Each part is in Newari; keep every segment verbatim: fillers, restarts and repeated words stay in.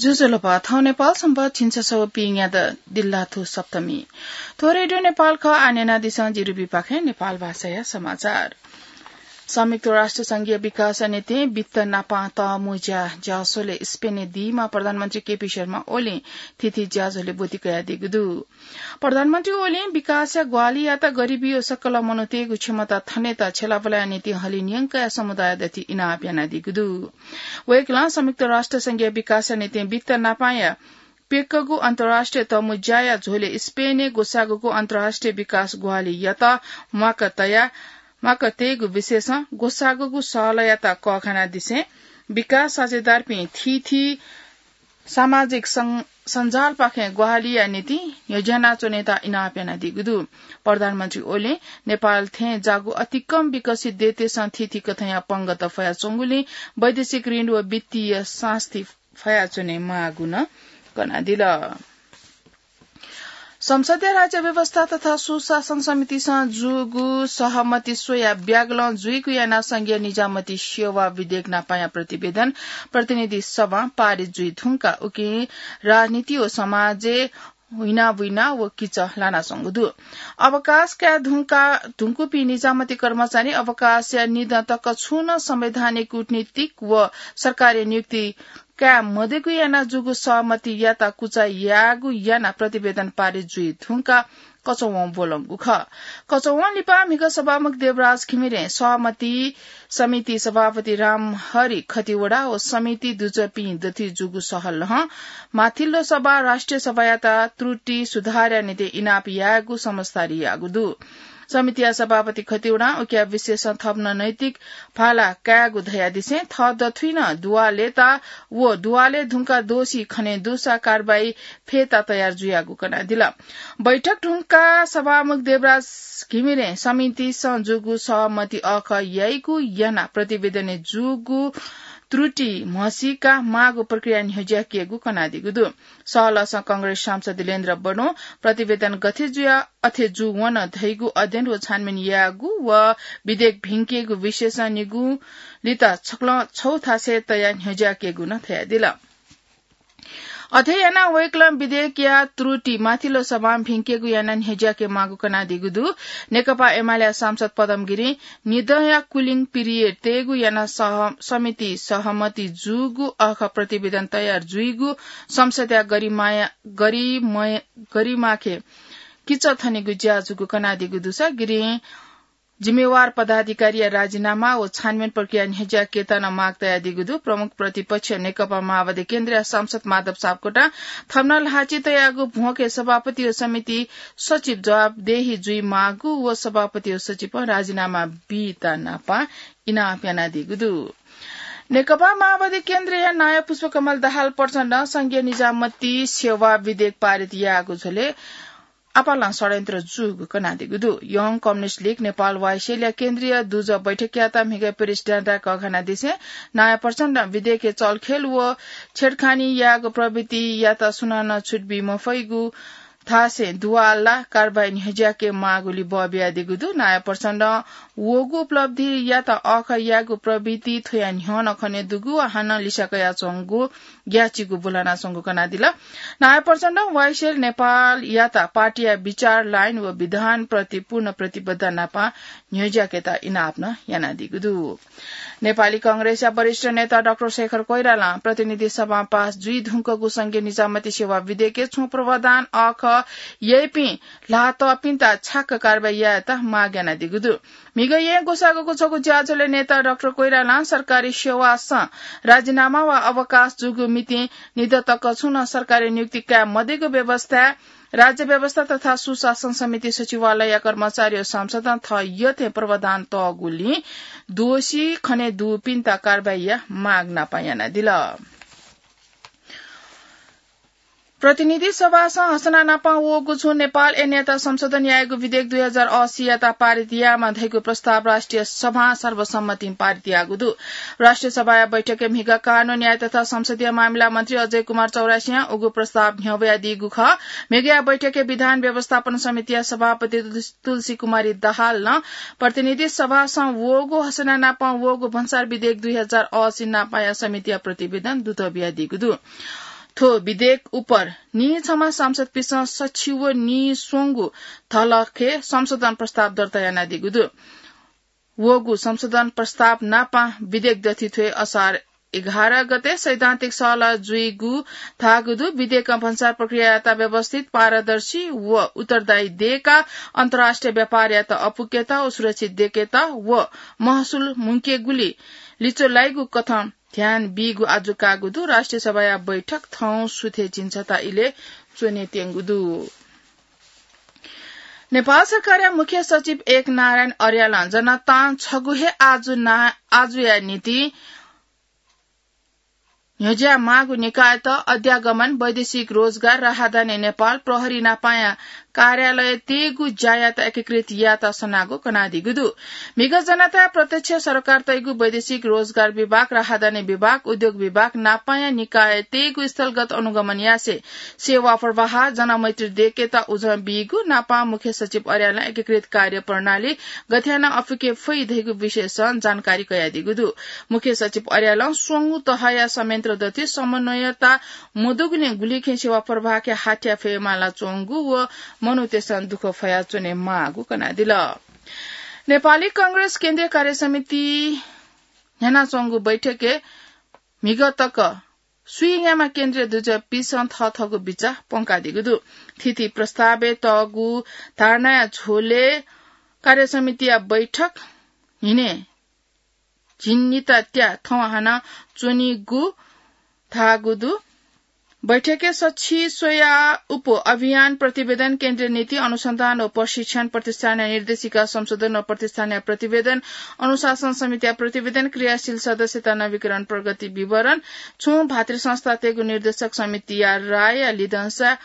ज्वजलपा, थौं नेपाल संवत् झिंछसः व पीन्यादँ दिल्लाथु सप्तमी। थ्व रेडियो नेपाल खः। आः न्यनादिसँ जि रुबीपाखें नेपाल भाषाया समाचार। संयुक्त राष्ट्र संघीय विकास निंतिं वित्त नापं तःमुँज्या ज्याझ्वलय् स्पेनय् दीम्ह प्रधानमन्त्री केपी शर्मा ओलीं थीथी ज्याझ्वलय् ब्वति कयादीगु दु। प्रधानमन्त्री ओलीं विकासया ग्वाहालि यात गरिबी व सकल मनूतय्गु क्षमता थनेत छ्यलाबुलाया निंतिं हलिं न्यंकया समुदाय दथुइ इनाप यानादीगु दु। वय्कलं संयुक्त राष्ट्र संघीय विकास निंतिं वित्त नापंया प्यकगु अन्तर्राष्ट्रिय तःमुँज्याया झ्वलय् स्पेनय् ग्वसाःगुगु अन्तर्राष्ट्रिय विकास ग्वाहालि यात म्वाक तया, म्वाक तयेगु विषयसं ग्वसाःगुगु सहलयात कःघानादिसें विकास साझेदारपिं थीथी सामाजिक सं-, सञ्जालपाखें ग्वाहालिया निंतिं न्ह्यज्यानाच्वनेत इनाप यानादीगु दु। प्रधानमन्त्री ओलीं नेपाल थें जाःगु अतिकं विकसित देशतय्सं थीथी कथंया पंगः तफयाच्वंगुलिं वैदेशिक ऋण व वित्तीय सास्ती फयाच्वने माःगु नं कनादिल। संसदया राज्य व्यवस्था तथा सुशासन समितिसं जूगु सहमति स्वयाः ब्यागलं जुइगु यानाः संघीय निजामती सेवा विधेयक नापंया प्रतिवेदन प्रतिनिधि सभां पारित जुइ धुंकाः उकिं राजनीति व समाजय् हुइनाबुइना व किचः लानाच्वंगु दु। अवकाश काये धुंका, धुंकूपिं निजामती कर्मचारी अवकाशया निदँ तक छुं नं संवैधानिक, कूटनीतिक व सरकारी नियुक्ति काये मदयेगु यानाः जूगु सहमतियात कुचा याःगु यानाः प्रतिवेदन पारित जुइ धुंकाः कचवं ब्वलंगु खः। कचवं लिपा म्हिगः सभामुख देवराज घिमिरें सहमति समिति सभापति रामहरि खतिवडा व समिति दुजःपिं दथुइ जूगु सहलहं माथिल्लो सभा राष्ट्रिय सभायात त्रुटि सुधारया निंतिं इनाप यायेगु समझदारी याःगु दु। समितिया सभापति खतिवडां उकिया विषयसं थप नं नैतिक भाला कायेगु धयादिसें थः दथुइ नं दुवालय् ता व दुवालय् धुंकाः दोषी खने दुसा कारवाही फयेत तयार जुयागु कनादिल। बैठक धुंकाः सभामुख देवराज घिमिरें समितिसं जूगु सहमति अःखः याइगु यानाः प्रतिवेदनय् जूगु त्रुटि म्हसीकाः माःगु प्रक्रिया न्ह्यज्याकेगु कनादीगु दु। सहलसं कांग्रेस सांसद दिलेन्द्र बडों प्रतिवेदन गथे जुयाः अथे जूवन धइगु अध्ययन व छानबिन यायेगु व विधेयक भिंकेगु विषयसं निगू लित छकलं छगू थासय् तयाः न्ह्यज्याकेगु नं धयादिल। अथे यानाः वय्कलं विधेयकया त्रुटि माथिल्लो सभां भिंकेगु यानाः न्ह्यज्याके माःगु कनादीगु दु। नेकपा एमालेया सांसद पदम गिरिं निदँया cooling period तयेगु यानाः सह-, समिति सहमति जूगु अःखः प्रतिवेदन तयार जुइगु संसदया गरिमाया-, गरिमय-, गरिमाखे किचः थनेगु ज्या जूगु कनादीगु दुसा गिरिं जिम्मेवार पदाधिकारीया राजीनामा व छानबिन प्रक्रिया न्ह्यज्याकेत नं माग तयादीगु दु। प्रमुख प्रतिपक्ष नेकपा माओवादी केन्द्रया सांसद माधव सापकोटां थप नं ल्हाःचिं तयागु भ्वंके सभापति व समिति सचिव जवाफदेही जुइ माःगु व सभापति व सचिवं राजीनामा बीत नापं इनाप यानादीगु दु। नेकपा माओवादी केन्द्रया नायः पुष्पकमल दाहाल प्रचण्डं संघीय निजामती सेवा विधेयक पारित याःगु झ्वलय् आपालं षड्यन्त्र जूगु कनादीगु दु। Young Communist League Nepal, YSL या केन्द्रीय दुजः बैठकयात म्हिगः प्रेस डाँडाय् कःघानादिसें नायः प्रचण्डं विधेयकय् चलखेल व छेडखानी याःगु प्रवृत्तियात सुनानं छुट बी मफइगु धासें दुवाला कारवाही न्ह्यज्याके माःगुलिइ बः बियादीगु दु। नायः प्रचण्डं वःगु उपलब्धियात अःखः याःगु प्रवृत्ति थ्वया न्ह्यः नं खने दुगु व हानं लिसा कयाच्वंगु ग्याःचिकु ब्वलनाच्वंगु कनादिल। नायः प्रचण्डं वाईएसएल नेपालयात पार्टीया विचार, लाइन व विधानप्रति पूर्ण प्रतिबद्धता नापं न्ह्यज्याकेत इनाप नं यानादीगु दु। नेपाली कांग्रेसया वरिष्ठ नेता डाक्टर शेखर कोइरालां प्रतिनिधि सभां पास जुइ धुंकूगु संघीय निजामती सेवा विधेयकय् छुं प्रावधान अःखः याइपिं ल्हातःपिन्त छ्याक्क कारवाही यायेत माग यानादीगु दु। म्हिगः येँ ग्वसाःगु छगू ज्याझ्वलय् नेता डाक्टर कोइरालां सरकारी सेवासं राजीनामा वा अवकाश जूगु मितिं निदँ तक छुं नं सरकारी नियुक्ति काये मदयेगु व्यवस्थाय् राज्य व्यवस्था तथा सुशासन समिति सचिवालयया कर्मचारी व सांसदं थः यःथें प्रावधान तःगुलिं दोषी खने दुपिन्त कारवाहीया माग नापं यानादिल। प्रतिनिधि सभासं हसना नापं वःगु छुं नेपाल ऐनयात संशोधन यायेगु विधेयक दुई हजार असीयात पारित यायेमाः धइगु प्रस्ताव राष्ट्रिय सभां सर्वसम्मतिं पारित याःगु दु। राष्ट्रिय सभाया बैठकय् म्हिगः कानून, न्याय तथा संसदीय मामिला मन्त्री अजय कुमार चौरासियां उगु प्रस्ताव न्ह्यब्वयादीगु खः। म्हिगःया बैठकय् विधान व्यवस्थापन समितिया सभापति तुलसी कुमारी दाहालं प्रतिनिधि सभासं वःगु हसना नापं वःगु भन्सार विधेयक दुई हजार असी नापंया समितिया प्रतिवेदन दुत बियादीगु दु। थ्व विधेयक उपर नीछम्ह सांसदपिसं सछि व नीस्वंगू धलखे संशोधन प्रस्ताव दर्ता यानादीगु दु। वःगु संशोधन प्रस्ताव नापं विधेयक दथि थ्व असार एघार गते सैद्धान्तिक सहलह जुइगु धाःगु दु। विधेयकं भन्सार प्रक्रियायात व्यवस्थित, पारदर्शी व उत्तरदायी देय्काः अन्तर्राष्ट्रिय व्यापारयात अपुकेत व सुरक्षित देय्केत व महसुल मुंकेगुली लिचो लाइगु कथं ध्यान बीगु आजु काःगु दु। राष्ट्रिय सभाया बैठक थौं सुथय् झिंछता इलय् च्वनेत्यंगु दु। नेपाल सरकारया मुख्य सचिव एक नारायण अर्यालं जनतां छगू हे आजु ना-, आजुया निंतिं न्ह्यज्यायेमाःगु निकायत अध्यागमन, वैदेशिक रोजगार, राहदानी नेपाल, प्रहरी नापाया कार्यालय तयेगु ज्यायात एकीकृत यायेत सनागु कनादीगु दु। म्हिगः जनताया प्रत्यक्ष सरकार तयेगु वैदेशिक रोजगार विभाग, राहदानी विभाग, उद्योग विभाग नापाया निकाय तयेगु स्थलगत अनुगमन यासें सेवा प्रवाह, जनमैत्री देय्केत उजं बीगु नापं मुख्य सचिव अर्यालं एकीकृत कार्य प्रणाली गथे यानाः अपुके फइ धइगु विषयसं जानकारी कयादीगु दु। मुख्य सचिव अर्यालं स्वंगू तहया संयन्त्र दथि समन्वयता मदुगुलिं गुलिखें सेवा प्रवाहके हाथ्या फयेमाला च्वंगु व मनूतय्सं दुःख फयाच्वनेमाःगु कनादिल। नेपाली कांग्रेस केन्द्रीय कार्य समिति न्ह्यानाच्वंगु बैठकय् म्हिगः तक स्वीन्याम्ह केन्द्रीय दुजःपिसं थःथःगु बिचाः प्वंकादीगु दु। थीथी प्रस्तावय् तःगु धारणाया झ्वलय् कार्य समितिया बैठक न्हिनय् झिंनिता त्याः थौं हानं च्वनीगु धाःगु दु। बैठकय् सछि स्वयाः उप अभियान प्रतिवेदन, केन्द्रीय नीति अनुसन्धान व प्रशिक्षण प्रतिष्ठानया निर्देशिका संशोधन व प्रतिष्ठानया प्रतिवेदन, अनुशासन समितिया प्रतिवेदन, क्रियाशील सदस्यता नवीकरण प्रगति विवरण, छुं भातृ संस्थातय्गु निर्देशक समितिया राय लिधंसा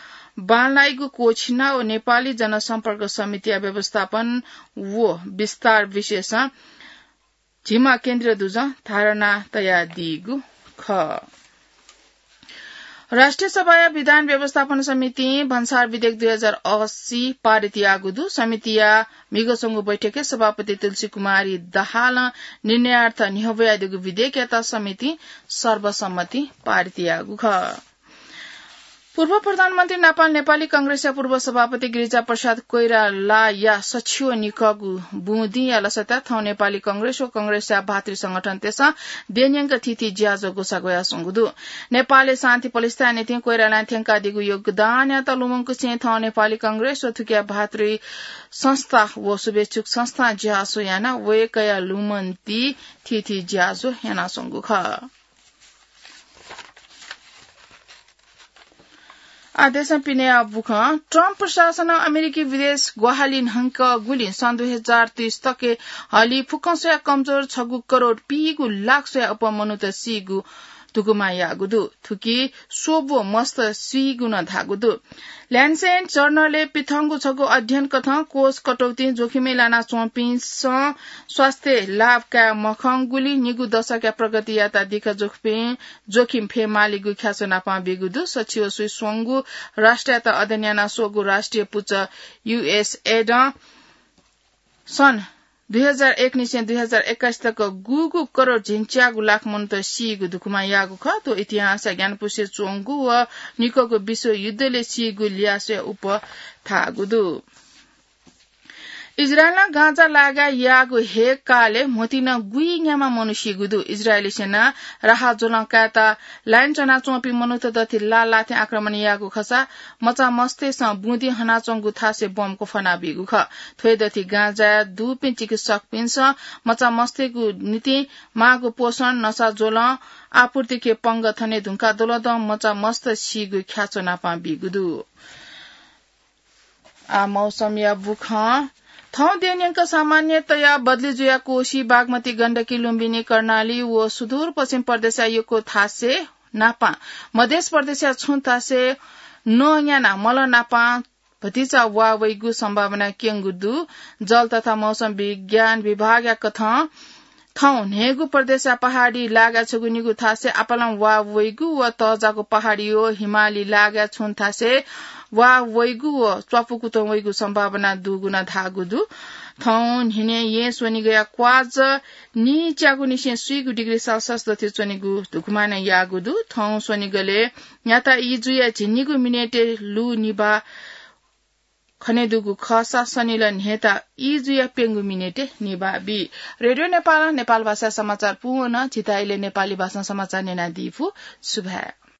बांलाइगु क्वःछिना व नेपाली जनसम्पर्क समितिया व्यवस्थापन व विस्तार विषयसं झिम्ह केन्द्रीय दुजं धारणा तयादीगु खः। राष्ट्रिय सभाया विधान व्यवस्थापन समितिं भन्सार विधेयक दुई हजार अस्सी पारित याःगु दु। समितिया म्हिगः स्वंगू बैठकय् सभापति तुलसी कुमारी दाहालं निर्णयार्थ न्ह्यब्वयादीगु विधेयकयात समितिं सर्वसम्मतिं पारित याःगु खः। पूर्व प्रधानमन्त्री नापं नेपाली कांग्रेसया पूर्व सभापति गिरिजा प्रसाद कोइरालाया सछि व निकःगु बुँदिंया लसताय् थौं नेपाली कांग्रेस व कांग्रेसया भातृ संगठनतय्सं देय्‌न्यंक थीथी ज्याझ्वः ग्वसाः ग्वयाच्वंगु दु। नेपालय् शान्ति प्रतिष्ठाया निंतिं कोइरालां थ्यंकादीगु योगदानयात लुमंकुसें थौं नेपाली कांग्रेस व थुकिया भातृ संस्था व शुभेच्छुक संस्थां ज्याझ्वः यानाः वय्‌कःया लुमन्ति थीथी ज्याझ्वः यानाच्वंगु खः। आः देशं पिनेया बुखँ। ट्रम्प प्रशासनं अमेरिकी विदेश ग्वाहालि न्हंकःगुलिं सन् दुई हजार तीस तकय् हलिं फुक्कं स्वयाः कमजोर छगू करोड पीगू लाख स्वयाः अप्वः मनूत सीगु धुकुमा याःगु दु। थुकी स्वब्व मस्त सीगु नं धाःगु दु। ल्यान्सेट जर्नलय् पिथंगु छगू अध्ययन कथं कोष कटौतीं जोखिमय् लानाच्वंपिन्सं स्वास्थ्य लाभ काये मखंगुलिं निगू दशकया प्रगति यायेत दिक्क जोखिमय्, जोखिम फयेमालीगु ख्याच्वः नापं बीगु दु। सछि व स्वीस्वंगू राष्ट्रयात अध्ययन याना स्वःगु राष्ट्रिय पुचः युएसएडं सन् दुई हजार एक निसें दुई हजार एक्काइस तक गुगु करोड झिंच्यागू लाख मनूत सीगु धुकुमा याःगु खः। थ्व इतिहासया ग्यानापुसे च्वंगु व निकःगु विश्वयुद्धलय् सीगु ल्याः स्वयाः अप्वः धाःगु दु। इजरायलं गाजा लागाय् याःगु हेक्कालय् म्होतिं नं गुइन्याम्ह मनू सीगु दु। इजरायली सेनां राहत ज्वलं कायेत लाइन च्वनाच्वंपिं मनूत दथि लाः लाथें आक्रमण याःगु खःसा मचामस्तय्सं बुँदिं हनाच्वंगु थासय् बम क्वफाना बीगु खः। थ्व हे दथि गाजाय् दुपिं चिकित्सकपिन्सं मचामस्तय्गु निंतिं माःगु पोषण, नसा ज्वलं आपूर्तिके पंगः थने धुंकाः दलदं मचामस्त सीगु ख्याच्वः नापं बीगु दु। आः मौसमया बुखँ। थौं देय्‌न्यंक सामान्यतया बदली जुयाः कोशी, बागमती, गण्डकी, लुम्बिनी, कर्णाली व सुदूरपश्चिम प्रदेशया यक्व थासय् नापं मध्य प्रदेशया छुं थासय् नं न्यानाः मलं नापं भतिचा वा वइगु सम्भावना क्यंगु दु। जल तथा मौसम विज्ञान विभागया कथं थौं न्हय्गू प्रदेशया पहाडी लागाय् छगू निगू थासय् आपालं वा वइगु व तःजाःगु पहाडी व हिमाली लागाय् छुं थासय् वा वइगु व च्वापु कुतुं वइगु सम्भावना दुगु नं धाःगु दु। थौं न्हिनय् येँ स्वनिगःया क्वाज नीच्यागु निसें स्वीगु डिग्री सेल्सियस दथुइ च्वनेगु धुकुमानं याःगु दु। थौं स्वनिगलय् न्याता ई जुया झिंनिगू मिनेटय् लु निभाः खनेदुगु खःसा सनिल न्हय्ता ई जुया प्यंगू मिनेटय् निभाः बी। रेडियो नेपालं नेपाल भाषाय् समाचार पूवन। झीत इलय् नेपाली भाषां समाचार न्यनादीगु सुभाय्।